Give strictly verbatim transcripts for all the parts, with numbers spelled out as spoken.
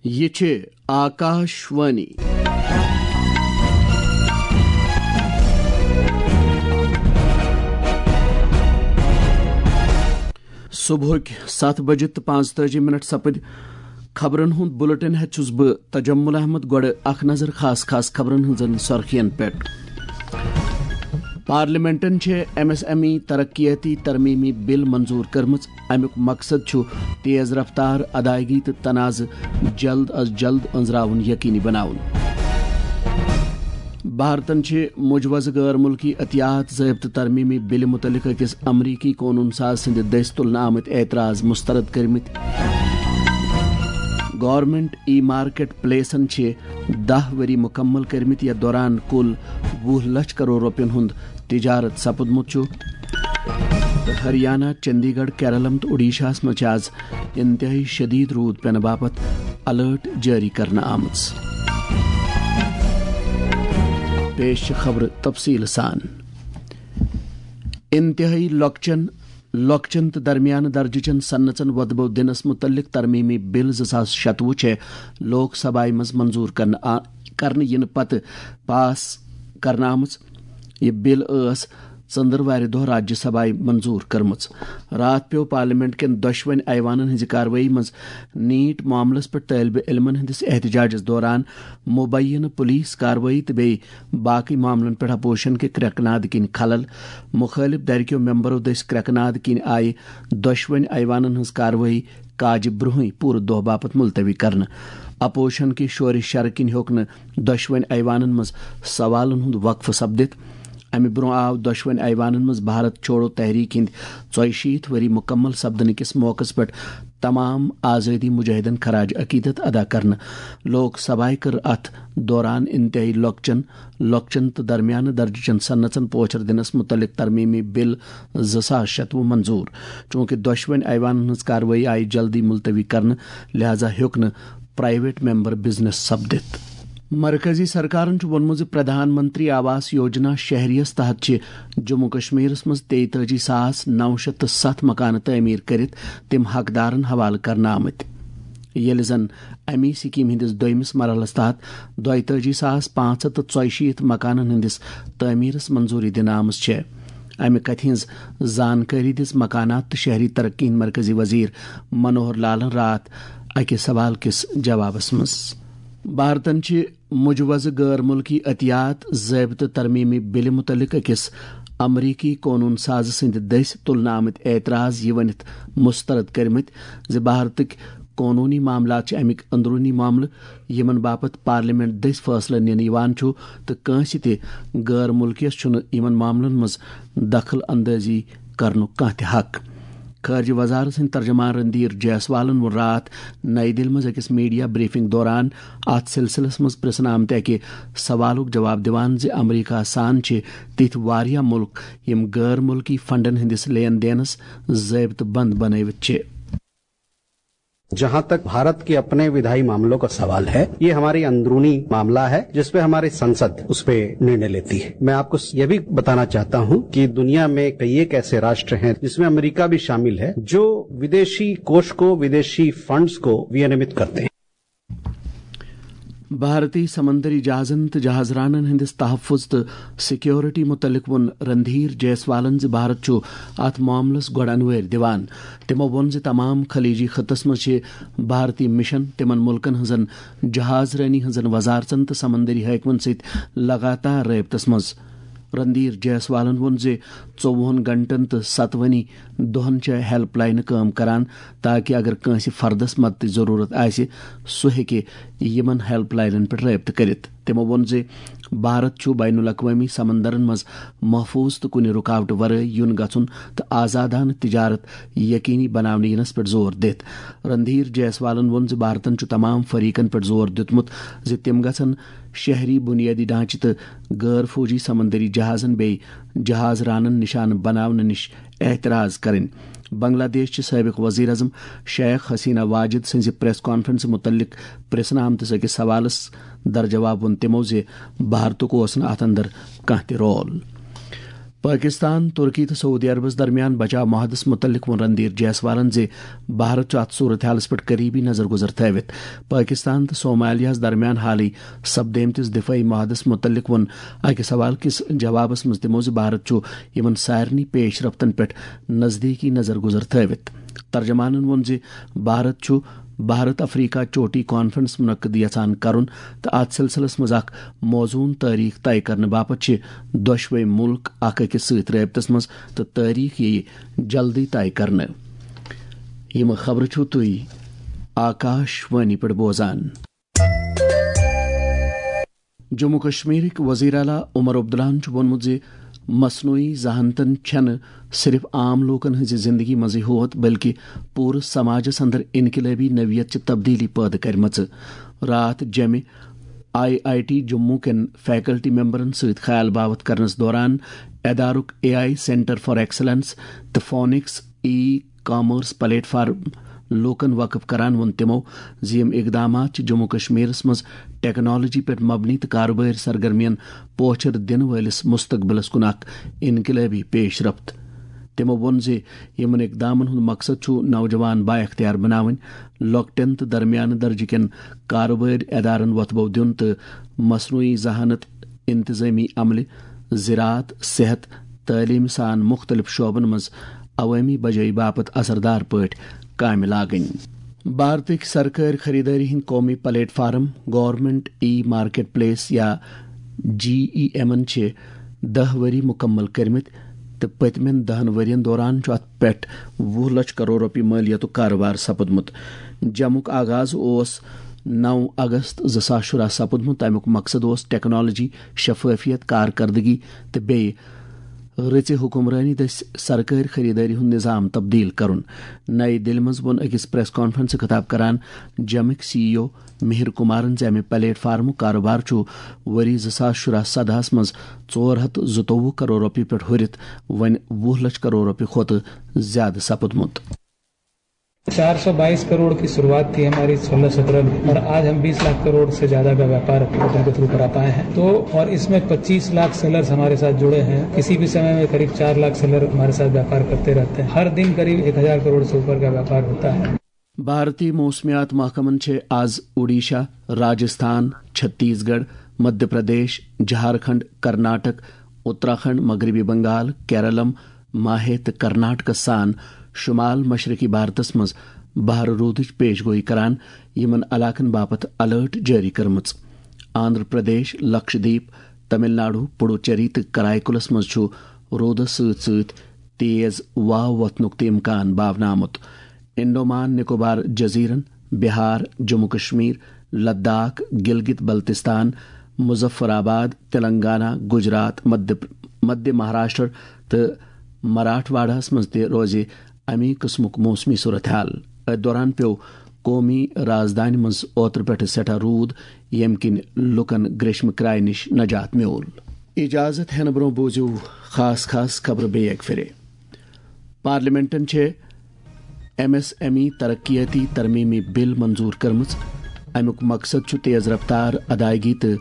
یہِ چھِ آکاش وانی۔ صبحٕکۍ ستھ بجہِ تہٕ پانٛژتٲجی منٹ سپٕدۍ۔ خبرن ہُنٛد بُلٹن ہٮ۪تھ چھُس بہٕ تجمل احمد۔ گۄڈٕ اکھ نظر خاص خاص خبرن ہٕنٛزن سرخین پٮ۪ٹھ۔ پارلیمنٹن چھِ ایم ایس ایم ای ترقیاتی ترمیمی بل منظور کٔرمٕژ۔ امیُک مقصد چھُ تیز رفتار ادائیگی تہٕ تنازٕ جلد از جلد أنٛزراوُن یقینی بناوُن۔ بھارتن چھِ مجوزٕ غٲر مُلکی عطیات ضٲبطہٕ ترمیمی بلہِ مُتعلق أکِس امریکی قونوٗن ساز سٕنٛدِ دٔسۍ تُلنہٕ آمٕتۍ اعتراض مسترد کٔرمٕتۍ۔ گورنمنٹ ای مارکیٹ پلیسن چھِ دَہ ؤری مُکمل کٔرمٕتۍ، یَتھ دوران کُل وُہ لچھ کرور رۄپین ہُنٛد تجارت سپُدمُت چھُ۔ ہریانہ، چندی گڑھ، کیرلم تہٕ اوڈیشاہَس منٛز چھِ آز انتہٲئی شدید روٗد پینہٕ باپتھ الرٹ جٲری کرنہٕ آمٕژ۔ پیش چھِ خبرٕ تفصیٖل سان۔ انتہٲئی لۄکچن، لۄکچن تہٕ درمیانہٕ درجہٕ چٮ۪ن صنعژن وۄدبو دِنس مُتعلق ترمیمی بل زٕ ساس شتوُہ چھےٚ لوک سبھایہ منٛز منظور کرنہٕ آ-، کرنہٕ یِنہٕ پتہٕ پاس کرنہٕ آمٕژ۔ یہِ بل ٲس ژٔنٛدٕروارِ دۄہ راجیہ سبھایہ منظور کٔرمٕژ۔ راتھ پیوٚو پارلیمنٹ کٮ۪ن دۄشوٕنۍ ایوانن ہٕنٛزِ کاروٲیی منٛز نیٖٹ معاملس پٮ۪ٹھ طٲلبہِ علمن ہٕنٛدِس احتجاجس دوران مبینہٕ پولیس کاروٲیی تہٕ بیٚیہِ باقٕے معاملن پٮ۪ٹھ اپوزیشن کہِ کرٛٮ۪کہٕ ناد کِنۍ خلل۔ مُخٲلِف دھرِ کیو ممبرو دٔسۍ کرٛٮ۪کہٕ ناد کِنۍ آیہِ دۄشوٕنۍ ایوانن ہٕنٛز کاروٲیی کاجہِ برٛونٛہٕے پوٗرٕ دۄہ باپتھ ملتوی کرنہٕ۔ اپوزیشن کہِ شورِ شرٕ کِنۍ ہیوٚک نہٕ دۄشوٕنۍ ایوانن منٛز سوالن ہُنٛد وقفہٕ سپدِتھ۔ امہِ برٛونٛہہ آو دۄشوٕنۍ ایوانن منٛز بھارت چھوڑو تحریک ہٕنٛدۍ ژۄیہِ شیٖتھ ؤری مُکمل سپدنہٕ کِس موقعس پٮ۪ٹھ تمام آزٲدی مجاہدن خراج عقیدت ادا کرنہٕ۔ لوک سبھایہ کٔر اتھ دوران انتہٲئی لۄکچن، لۄکچن تہٕ درمیانہٕ درجہٕ چٮ۪ن صنعژن پوچھر دِنس مُتعلق ترمیمی بل زٕ ساس شتوُہ منظور۔ چوٗنٛکہِ دۄشوٕنۍ ایوانن ہٕنٛز کاروٲیی آیہِ جلدی ملتوی کرنہٕ، لہذا ہیوٚک نہٕ پرائیویٹ ممبر بزنس سپدِتھ۔ مرکزی سرکارن چھُ ووٚنمُت زِ پردھان منتری آواس یوجنا شہریَس تحت چھِ جموں کشمیرس منٛز تیتٲجی ساس نو شیٚتھ تہٕ ستھ مکانہٕ تعمیٖر کٔرِتھ تِم حقدارن حوالہٕ کرنہٕ آمٕتۍ، ییٚلہِ زن اَمی سکیٖم ہٕنٛدِس دوٚیمِس مرحلس تحت دۄیتٲجی ساس پانٛژھ ہَتھ تہٕ ژۄیہِ شیٖتھ مکانن ہٕنٛدِس تعمیٖرس منظوٗری دِنہٕ آمٕژ چھےٚ۔ اَمہِ کتھِ ہٕنٛز زانکٲری دِژ مکانات تہٕ شہری ترقی ہٕنٛدۍ مرکزی وزیر منوہر لالن راتھ اکہِ سوال کِس جوابس منٛز۔ بھارتن چھِ مجوزٕ غٲر مُلکی عطیات ضٲبطہٕ ترمیمی بلہِ مُتعلق أکِس امریکی قونوٗن سازٕ سٕنٛدِ دٔسۍ تُلنہٕ آمٕتۍ اعتراض یہِ ؤنِتھ مسترد کٔرمٕتۍ زِ بھارتٕکۍ قونوٗنی معاملات چھِ اَمِکۍ أنٛدروٗنی معاملہٕ، یِمن باپتھ پارلیمنٹ دٔسۍ فٲصلہٕ نِنہٕ یِوان چھُ، تہٕ کٲنٛسہِ تہِ غٲر مُلکِیَس چھُنہٕ یِمن معاملن منٛز دخل اندٲزی کرنُک کانٛہہ تہِ حق۔ خارجہ وزارت سٕنٛدۍ ترجمان رندھیر جیسوالن ووٚن راتھ نئی دِلہِ منٛز أکِس میڈیا بریفنگ دوران اتھ سلسلس منٛز پرژھنہٕ آمتہِ اکہِ سوالُک جواب دِوان زِ امریکہ سان چھِ تِتھۍ واریاہ مُلک یِم غٲر مُلکی فنڈن ہٕنٛدِس لین دینس ضٲبطہٕ بند بنٲوِتھ چھِ۔ जहां तक भारत के अपने विधायी मामलों का सवाल है, ये हमारी अंदरूनी मामला है जिसपे हमारी संसद उस पे निर्णय लेती है। मैं आपको ये भी बताना चाहता हूं कि दुनिया में कई एक ऐसे राष्ट्र हैं जिसमें अमेरिका भी शामिल है, जो विदेशी कोष को, विदेशी फंड्स को विनियमित करते हैं। بھارتی سمندری جہازن تہٕ جہاز رانن ہٕنٛدِس تحفظ تہٕ سیکیورٹی مُتعلق ووٚن رندھیر جیسوالن زِ بھارت چھُ اتھ معاملس گۄڈٕ انوٲرۍ دِوان۔ تِمو ووٚن زِ تمام خلیجی خطس منٛز چھِ بھارتی مشن تِمن مُلکن ہٕنٛزن جہاز رٲنی ہٕنٛزن وزارژن تہٕ سمندری حٲکمن سۭتۍ لگاتار رٲبطس منٛز۔ رندھیر جیسوالن ووٚن زِ ژوٚوُہن گھنٹن تہٕ ستوٕنی دۄہن چھےٚ ہیلپ لاینہٕ کٲم کران، تاکہ اگر کٲنٛسہِ فردس مدتٕچ ضروٗرت آسہِ، سُہ ہیٚکہِ یِمن ہیلپ لاینن پٮ۪ٹھ رٲبطہٕ کٔرِتھ۔ تِمو ووٚن زِ بھارت چھُ بین الاقوٲمی سمندرن منٛز محفوظ تہٕ کُنہِ رُکاوٹہٕ ورٲے یُن گژھُن تہٕ آزادانہٕ تجارت یقینی بناونہٕ یِنس پٮ۪ٹھ زور دِتھ۔ رندھیر جیسوالن ووٚن زِ بھارتن چھُ تمام فریقن پٮ۪ٹھ زور دیُتمُت زِ تِم گژھن شہری بنیٲدی ڈھانچہٕ تہٕ غٲر فوجی سمندری جہازن بیٚیہِ جہاز رانن نشانہٕ بناونہٕ نِش احتراز کرٕنۍ۔ بنگلہ دیش چہِ سٲبق وزیر اعظم شیخ حسینہ واجد سٕنٛزِ پریس کانفرنسہِ مُتعلق پرژھنہٕ آمتِس أکِس سوالس درجواب ووٚن تِمو زِ بھارتُک اوس نہٕ اتھ اندر کانٛہہ تہِ رول۔ پٲکِستان، تُرکی تہٕ سعودی عربَس درمیان بچاو معاہدَس مُتعلِق ووٚن رندھیر جیسوالَن زِ بھارت چھُ اَتھ صورت حالَس پٮ۪ٹھ قریبی نظر گُزر تھٲوِتھ۔ پٲکِستان تہٕ صومالیاہَس درمیان حالٕے سپدیمتِس دِفٲعی معاہدَس مُتعلِق ووٚن أکِس سوال کِس جوابَس منٛز تِمو زِ بھارت چھُ یِمَن سارنٕے پیش رفتَن پٮ۪ٹھ نزدیٖکی نظر گُزر تھٲوِتھ۔ ترجمانَن ووٚن زِ بھارت چھُ بھارت افریقہ چوٹی کانفرنس منعقد یژھان کرُن تہٕ اتھ سلسلس منٛز اکھ موزون تٲریخ طے کرنہٕ باپتھ چھِ دۄشوے ملک اکھ أکِس سۭتۍ رٲبطس منٛز تہٕ تٲریخ یِیہِ جلدی طے کرنہٕ۔ یِم خبرٕ چھِو تُہۍ آکاش وانی پٮ۪ٹھ بوزان۔ جموں کشمیرٕکۍ وزیر اعلیٰ عمر عبداللہَن چھُ ووٚنمُت زِ مصنوعی ذہانتن چھَنہٕ صرف عام لوٗکَن ہٕنٛزِ زِندگی منٛزٕے ہوت، بلکہِ پوٗرٕ سماجَس اندر انقلٲبی نوعیت چہِ تبدیلی پٲدٕ کرِمژٕ۔ راتھ جمہِ آئی آئی ٹی جموں کٮ۪ن فیکلٹی ممبرَن سۭتۍ خیال باوتھ کرنَس دوران ادارُک A I centre for excellence تہٕ فونکس ای کامرس پلیٹ فارم لوٗکَن وقف کران ووٚن تِمو زِ یِم اقدامات چھِ جموں کشمیرَس منٛز ٹیکنالوجی پٮ۪ٹھ مبنی تہٕ کارٕبٲرۍ سرگرمیَن پوچھر دِنہٕ وٲلِس مستقبلَس کُن اکھ انقلٲبی پیش رفت۔ تِمو ووٚن زِ یِمَن اقدامَن ہُنٛد مقصد چھُ نوجوان بااختیار بناوٕنۍ، لۄکٹٮ۪ن تہٕ درمیانہٕ درجہٕ کٮ۪ن کارٕبٲرۍ ادارَن وۄتھٕ بو دیُن تہٕ مصنوعی ذہانت، انتظٲمی عملہِ، زراعت، صحت، تعلیٖم سان مُختٔلِف شعبَن منٛز عوٲمی بجٲیی باپتھ اثردار پٲٹھۍ کامہِ لاگٕنۍ۔ بھارتٕکۍ سرکٲرۍ خریدٲری ہٕنٛدۍ قومی پلیٹ فارم گورنمنٹ ای مارکیٹ پلیس یا جی ای ایمَن چھِ دَہ ؤری مُکمل کٔرمٕتۍ تہٕ پٔتمٮ۪ن دَہَن ؤرین دوران چھُ اَتھ پٮ۪ٹھ وُہ لچھ کرور رۄپیہِ مٲلیتُک کارٕبار سپُدمُت۔ جمُک آغاز اوس نَو اگست زٕ ساس شُراہ سپُدمُت۔ تَمیُک مقصد اوس ٹیکنالوجی، شفافیت، کارکردگی تہٕ بیٚیہِ رٕژِ حکمرٲنی دٔسۍ سرکٲرۍ خریدٲری ہُنٛد نظام تبدیل کرُن۔ نئی دِلہِ منٛز ووٚن أکِس پریس کانفرنسہِ خطاب کران جمٕکۍ سی ای او مہر کمارن زِ امہِ پلیٹ فارمُک کاروبار چھُ ؤری زٕ ساس شُراہ سدہَس منٛز ژور ہتھ زٕتووُہ کرور رۄپیہِ پٮ۪ٹھ ہُرِتھ وۄنۍ وُہ لچھ کرور رۄپیہِ کھۄتہٕ زیادٕ سپُدمُت۔ चार सौ बाईस करोड़ की शुरुआत थी हमारी सोलह सत्रह में, और आज हम बीस लाख करोड़ से ज्यादा का व्यापार पोर्टल के थ्रू करा पाए हैं। तो और इसमें पच्चीस लाख सेलर्स हमारे साथ जुड़े हैं। किसी भी समय में करीब चार लाख सेलर हमारे साथ व्यापार करते रहते हैं। हर दिन करीब एक हजार करोड़ से ऊपर का व्यापार होता है। بھارتی موسمیات محکمن چھِ آز اوڈیشہ، راجستھان، چھتیس گڑھ، مدھیہ پردیش، جھارکھنڈ، کرناٹک، اتراکھنڈ، مغربی بنگال، کیرلم، ماہے تہٕ کرناٹکس سان شمال مشرقی بھارتس منٛز بہرٕ روٗدٕچ پیش گویی کران، یِمن علاقن باپتھ الرٹ جٲری کٔرمٕژ۔ آندھرا پردیش، لکشدیپ، تمل ناڈو، پڈوچیری تہٕ کرائیکلس منٛز چھُ روٗدس سۭتۍ سۭتۍ تیز واو وۄتھنُک تہِ امکان باونہٕ آمُت۔ انڈومان نکوبار جزیرن، بہار، جموں کشمیر، لداخ، گلگت بلتستان، مظفر آباد، تلنگانہ، گجرات، مدھیہ مہاراشٹر تہٕ مراٹھواڑہس منٛز تہِ روزِ امی قٕسمُک موسمی صورتحال۔ أتھۍ دوران پیوٚو قومی رازدانہِ منٛز اوترٕ پٮ۪ٹھٕ سٮ۪ٹھاہ روٗد، ییٚمہِ کِنۍ لوٗکَن گریشمہٕ کرایہِ نِش نجات میوٗل۔ اجازت ہٮ۪نہٕ برٛونٛہہ بوٗزِو خاص خاص خبرٕ بیٚیہِ اَکہِ پھِرِ۔ پارلیمنٹَن چھِ ایم ایس ایم ای ترقیاتی ترمیمی بل منظور کٔرمٕژ۔ اَمیُک مقصد چھُ تیز رفتار ادائیگی تہٕ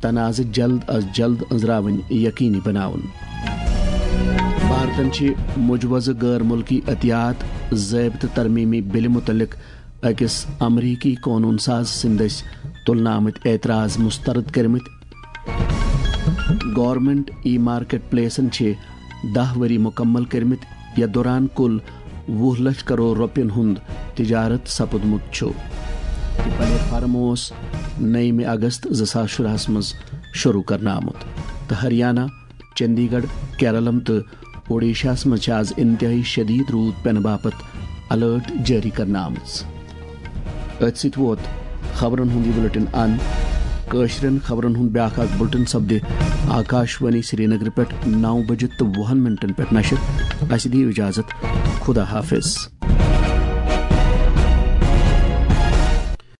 تنازٕ جلد از جلد أنٛزراوٕنۍ یقینی بناوُن۔ بھارتن چھِ مجوزٕ غٲر مُلکی عطیات ضٲبطہٕ ترمیمی بلہِ مُتعلق أکِس امریکی قونوٗن ساز سٕنٛدۍ دٔسۍ تُلنہٕ آمٕتۍ اعتراض مسترد کٔرمٕتۍ۔ گورنمنٹ ای مارکیٹ پلیسن چھِ دَہ ؤری مُکمل کٔرمٕتۍ، یَتھ دوران کُل وُہ لچھ کرور رۄپین ہُنٛد تجارت سپُدمُت چھُ۔ یہِ پلیٹ فارم اوس نَیِمہِ اگست زٕ ساس شُراہَس منٛز شروٗع کرنہٕ آمُت تہٕ ہریانہ، چندی گڑھ، کیرلم تہٕ اوڈیشاہَس منٛز چھِ آز انتہٲئی شدید روٗد پینہٕ باپتھ الرٹ جٲری کرنہٕ آمٕژ۔ أتھۍ سۭتۍ ووت خبرن ہُنٛد یہِ بُلٹن اند۔ کٲشرٮ۪ن خبرن ہُنٛد بیٛاکھ اکھ بُلٹن سپدِ آکاش وانی سرینگرٕ پٮ۪ٹھ نَو بجہِ تہٕ وُہن منٹن پٮ۪ٹھ نشر۔ اسہِ دِیِو اجازت۔ خدا حافظ۔